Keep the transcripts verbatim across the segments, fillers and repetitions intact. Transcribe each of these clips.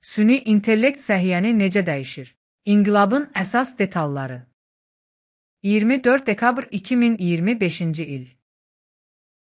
Süni intellekt səhiyyəni necə dəyişir? İnqilabın əsas detalları. iyirmi dörd dekabr iki min iyirmi beşinci il.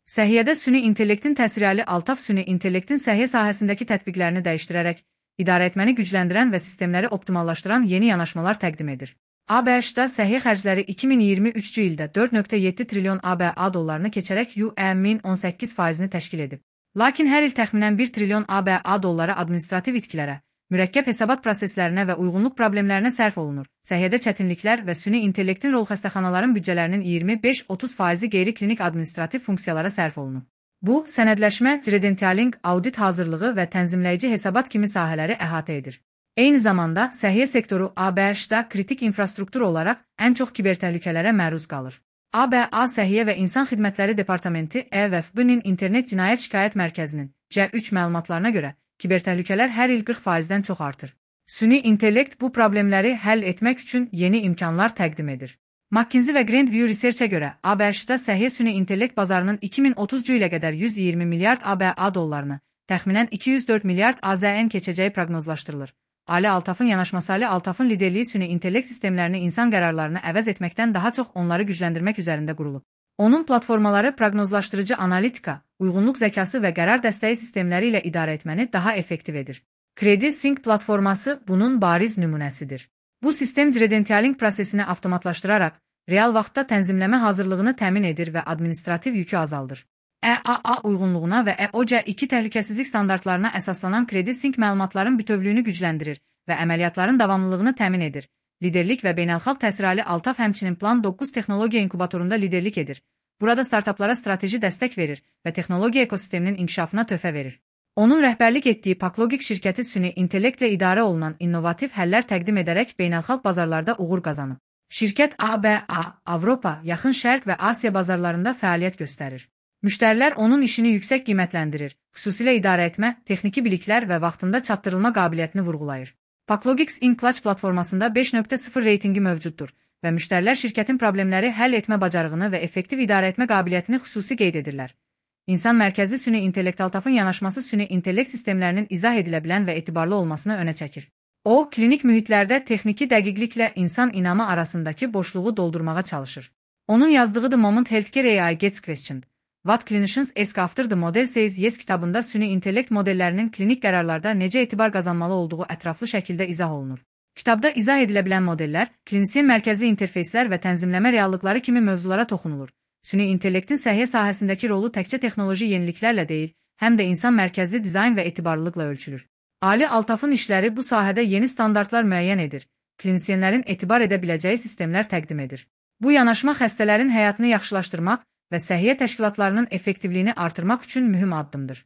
Səhiyyədə süni intellektin təsiri Ali Altaf süni intellektin səhiyyə sahəsindəki tətbiqlərini dəyişdirərək, idarəetməni gücləndirən və sistemləri optimallaşdıran yeni yanaşmalar təqdim edir. A B H-da səhiyyə xərcləri iki min iyirmi üçüncü ildə dörd nöqtə yeddi trilyon A B A dollarını keçərək U E min on səkkiz faizini təşkil edib. Lakin hər il təxminən bir trilyon A B A dolları administrativ itkilərə, mürəkkəb hesabat proseslərinə və uyğunluq problemlərinə sərf olunur. Səhiyyədə çətinliklər və süni intellektin rol xəstəxanaların büdcələrinin iyirmi beş otuz faizi qeyri-klinik administrativ funksiyalara sərf olunur. Bu, sənədləşmə, credentialing, audit hazırlığı və tənzimləyici hesabat kimi sahələri əhatə edir. Eyni zamanda, səhiyyə sektoru A B H-da kritik infrastruktur olaraq ən çox kibertəhlükələrə məruz qalır. A B A Səhiyyə və İnsan Xidmətləri Departamenti E V F B-nin İnternet Cinayət Şikayət Mərkəzinin C üç məlumatlarına görə, kibertəhlükələr hər il qırx faizdən çox artır. Süni intellekt bu problemləri həll etmək üçün yeni imkanlar təqdim edir. McKinsey və Grandview Research-ə görə A B H-da səhiyyə süni intellekt bazarının iki min otuzuncu ilə qədər yüz iyirmi milyard A B A dollarını, təxminən iki yüz dörd milyard A Z N keçəcəyi proqnozlaşdırılır. Ali Altafın yanaşması Ali Altafın liderliyi süni intellekt sistemlərini insan qərarlarını əvəz etməkdən daha çox onları gücləndirmək üzərində qurulub. Onun platformaları proqnozlaşdırıcı analitika, uyğunluq zəkası və qərar dəstəyi sistemləri ilə idarə etməni daha effektiv edir. CrediSync platforması bunun bariz nümunəsidir. Bu sistem credentialing prosesini avtomatlaşdıraraq, real vaxtda tənzimləmə hazırlığını təmin edir və administrativ yükü azaldır. E A A uyğunluğuna və E O C iki təhlükəsizlik standartlarına əsaslanan CrediSync məlumatların bütövlüyünü gücləndirir və əməliyyatların davamlılığını təmin edir. Liderlik və beynəlxalq təsiri Ali Altaf həmçinin Plan doqquz texnologiya inkubatorunda liderlik edir. Burada startaplara strateji dəstək verir və texnologiya ekosisteminin inkişafına töhfə verir. Onun rəhbərlik etdiyi Paklogik şirkəti süni intellektlə idarə olunan innovativ həllər təqdim edərək beynəlxalq bazarlarda uğur qazanıb. Şirkət A B A, Avropa, Yaxın Şərq və Asiya bazarlarında fəaliyyət göstərir. Müştərilər onun işini yüksək qiymətləndirir, xüsusilə idarə etmə, texniki biliklər və vaxtında çatdırılma qabiliyyətini vurğulayır. Paklogix InClutch platformasında beş nöqtə sıfır reytingi mövcuddur və müştərilər şirkətin problemləri həll etmə bacarığını və effektiv idarə etmə qabiliyyətini xüsusi qeyd edirlər. İnsan mərkəzli süni intellekt Altafın yanaşması süni intellekt sistemlərinin izah edilə bilən və etibarlı olmasını önə çəkir. O, klinik mühitlərdə texniki dəqiqliklə insan inamı arasındakı boşluğu doldurmağa çalışır. Onun yazdığı The Moment Healthcare A I Gets Questioned. What Clinicians Ask After the Model Says Yes kitabında süni intellekt modellərinin klinik qərarlarda necə etibar qazanmalı olduğu ətraflı şəkildə izah olunur. Kitabda izah edilə bilən modellər, klinisyen mərkəzli interfeyslər və tənzimləmə reallıqları kimi mövzulara toxunulur. Süni intellektin səhiyyə sahəsindəki rolu təkcə texnoloji yeniliklərlə deyil, həm də insan mərkəzli dizayn və etibarlılıqla ölçülür. Ali Altafın işləri bu sahədə yeni standartlar müəyyən edir, klinisyenlərin etibar edə biləcəyi sistemlər təqdim edir. Bu yanaşma xəstələrin həyatını yaxşılaşdırmaq və səhiyyə təşkilatlarının effektivliyini artırmaq üçün mühüm addımdır.